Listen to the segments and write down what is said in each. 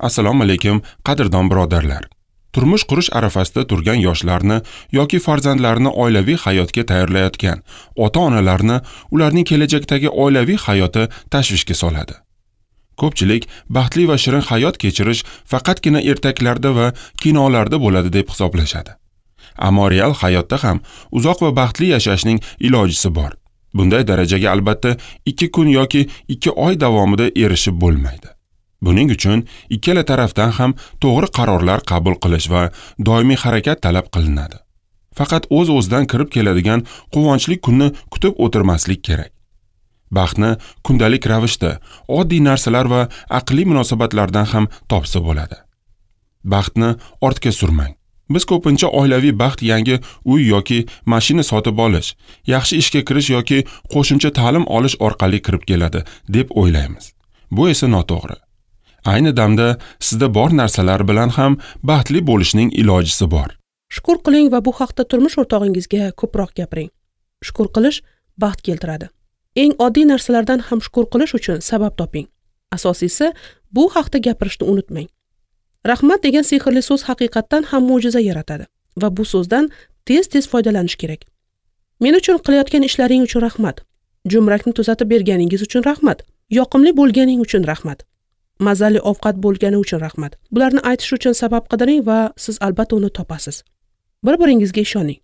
Assalomu alaykum, qadrdon birodarlar. Turmush qurish arafasida turgan yoshlarni yoki farzandlarini oilaviy hayotga tayyorlayotgan ota-onalarni ularning kelajakdagi oilaviy hayoti tashvishga soladi. Ko'pchilik baxtli va shirin hayot kechirish faqatgina ertaklarda va kinolarda bo'ladi deb hisoblashadi. Ammo real hayotda ham uzoq va baxtli yashashning ilojisi bor. Bunday darajaga albatta 2 kun yoki 2 oy davomida erishib bo'lmaydi. Buning uchun ikkala tarafdan ham to'g'ri qarorlar qabul qilish va doimiy harakat talab qilinadi. Faqat o'z-o'zidan kirib keladigan quvonchli kunni kutib o'tirmaslik kerak. Baxtni kundalik ravishda, oddiy narsalar va aqliy munosabatlardan ham topsa bo'ladi. Baxtni ortga surmang. Biz ko'pincha oilaviy baxt yangi uy yoki mashina sotib olish, yaxshi ishga kirish yoki qo'shimcha ta'lim olish orqali kirib keladi deb o'ylaymiz. Bu esa noto'g'ri. Ayni damda sizda bor narsalar bilan ham baxtli bo'lishning ilojisi bor. Shukr qiling va bu haqda turmush o'rtog'ingizga ko'proq gapiring. Shukr qilish baxt keltiradi. Eng oddiy narsalardan ham shukr qilish uchun sabab toping. Asosiysi, bu haqda gapirishni unutmang. Rahmat degan sehrli so'z haqiqatdan ham mo'jiza yaratadi va bu so'zdan tez-tez foydalanish kerak. Men uchun qilayotgan ishlaring uchun rahmat. Jumrakni tuzatib berganingiz uchun rahmat. Yoqimli bo'lganing uchun rahmat. Mazali ovqat bo'lgani uchun rahmat. Bularni aytish uchun sabab qidiring va siz albatta uni topasiz. Bir-biringizga ishoning.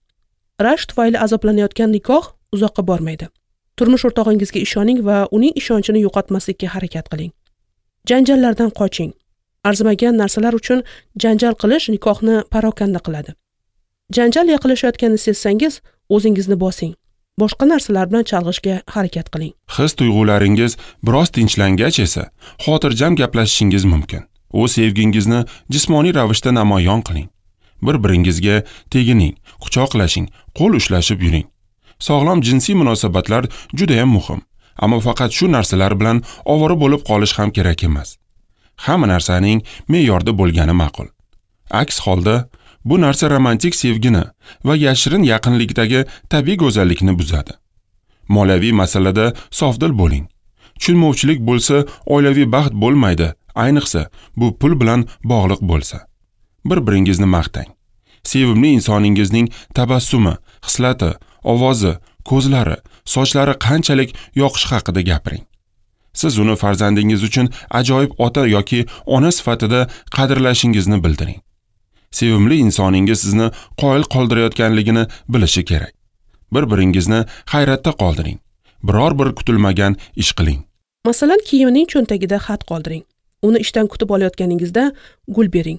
Rashk tufayli azoblanayotgan nikoh uzoqqa bormaydi. Turmush o'rtog'ingizga ishoning va uning ishonchini yo'qotmaslikka harakat qiling. Janjallardan qoching. Arzimagan narsalar uchun janjal qilish nikohni parokanda qiladi. Janjal yaqinlashayotganini sezsangiz, o'zingizni bosing. Boshqa narsalar bilan chalg'ishga harakat qiling. His tuyg'ularingiz biroz tinchlangach esa xotirjam gaplashishingiz mumkin. O'z sevgingizni jismoniy ravishda namoyon qiling. Bir-biringizga tegining, quchoqlashing, qo'l ushlashib yuring. Sog'lom jinsiy munosabatlar juda ham muhim, ammo faqat shu narsalar bilan ovora bo'lib qolish ham kerak emas. Hamma narsaning me'yorda bo'lgani ma'qul. Aks holda bu narsa romantik sevgini va yashirin yaqinlikdagi tabiiy go'zallikni buzadi. Moliyaviy masalada sofdil bo'ling. Tushunmovchilik bo'lsa, oilaviy baxt bo'lmaydi, ayniqsa bu pul bilan bog'liq bo'lsa. Bir-biringizni maqtang. Sevimli insoningizning tabassumi, xislati, ovozi, ko'zlari, sochlari qanchalik yoqishi haqida gapiring. Siz uni farzandingiz uchun ajoyib ota yoki ona sifatida qadrlashingizni bildiring. Sevimli insoningiz sizni qoyil qoldirayotganligini bilishi kerak. Bir-biringizni hayratda qoldiring. Biror bir kutilmagan ish qiling. Masalan, kiyimining cho'ntagida xat qoldiring. Uni ishdan kutib olayotganingizda gul bering.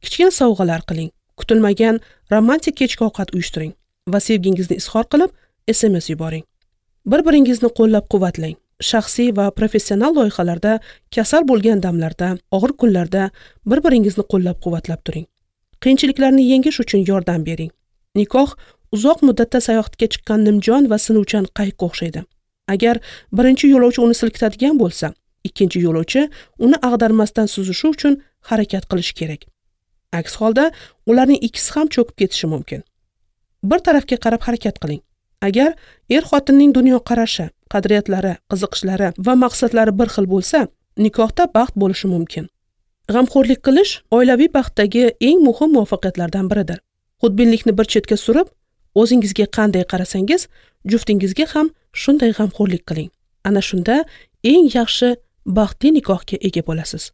Kichkina sovg'alar qiling. Kutilmagan romantik kechki ovqat uyushtiring va sevgingizni izhor qilib SMS yuboring. Bir-biringizni qo'llab-quvvatlang. Shaxsiy va professional loyihalarda, kasal bo'lgan damlarda, og'ir kunlarda bir-biringizni qo'llab-quvvatlab turing. Qiyinchiliklarni yengish uchun yordam bering. Nikoh uzoq muddatda sayohatga chiqqan nimjon va sinuvchan qayiqqa o'xshaydi. Agar birinchi yo'lovchi uni silkitadigan bo'lsa, ikkinchi yo'lovchi uni ag'darmasdan suzishi uchun harakat qilishi kerak. Aks holda ularning ikkisi ham cho'kib ketishi mumkin. Bir tarafga qarab harakat qiling. Agar er-xotinning dunyoqarashi, qadriyatlari, qiziqishlari va maqsadlari bir xil bo'lsa, nikohda baxt bo'lishi mumkin. G'amxo'rlik qilish oilaviy baxtdagi eng muhim muvaffaqiyatlardan biridir. Xudbinlikni bir chetga surib, o'zingizga qanday qarasangiz, juftingizga ham shunday g'amxo'rlik qiling. Ana shunda eng yaxshi baxtli nikohga ega bo'lasiz.